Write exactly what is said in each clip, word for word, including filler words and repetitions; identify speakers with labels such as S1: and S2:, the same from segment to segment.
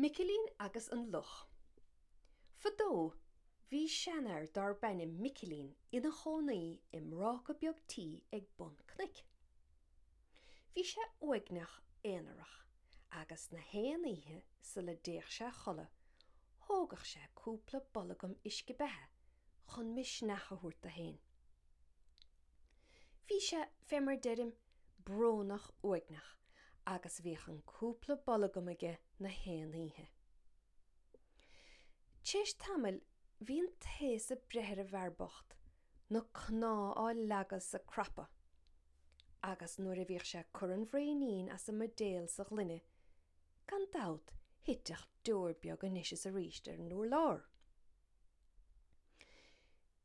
S1: Micilín agus an Luch. Fadó bhí seanfhear darb ainm Micilín ina chónaí i mbráca beag tí ag bun cnoic. Bhí sé uaigneach aonarach agus na haon oíche sula dtéadh sé a chodladh, thógadh sé cúpla bolgam uisce beatha chun misneach a thabhairt dó féin. Bhí sé, fé mar deirim, brónach uaigneach agus bhíodh an cúpla bolgam aige na haon oíche. T'éis tamaill bhí an taos ag breith ar an bhfear bocht, na cnámha á leagadh 's á crapadh, agus nuair a bhíodh sé ag cur an bhraoinín as an mbuidéal sa ghloine, gan dabht thiteadh deoir beag anois is arís ar an urlár.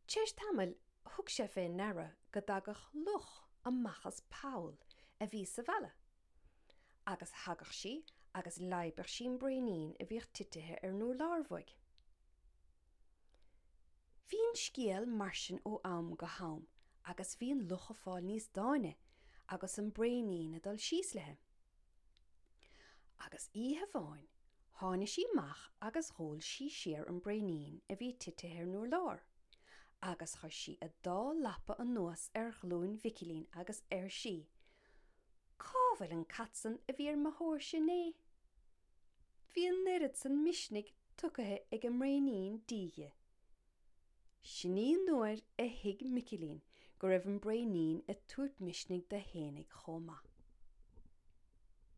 S1: T'éis tamaill thug sé fé ndeara go dtagadh luch amach as poll a bhí sa bhalla, agus thagadh sí agus leidhbeadh sí an braoinín a bhíodh titithe ar an urlár uaidh. Bhí an scéal mar sin ó am go ham agus bhí an luch ag fáil níos dáine agus an braoinín ag dul síos léi. Agus oíche amháin tháinig sí amach agus dh'ól sí siar an braoinín a bhí titithe ar an urlár, agus chuir sí a dá lapa anuas ar ghlúin Mhicilín agus ar sí, Cá bhfuil an cat san a bhí ar mo thóirse inné? Bhí an oiread san misnigh tugtha ag an mbraoinín dithe. Sin í an uair a thuig Micilín go raibh an braoinín ag tabhairt misnigh dó fhéinig chomh maith.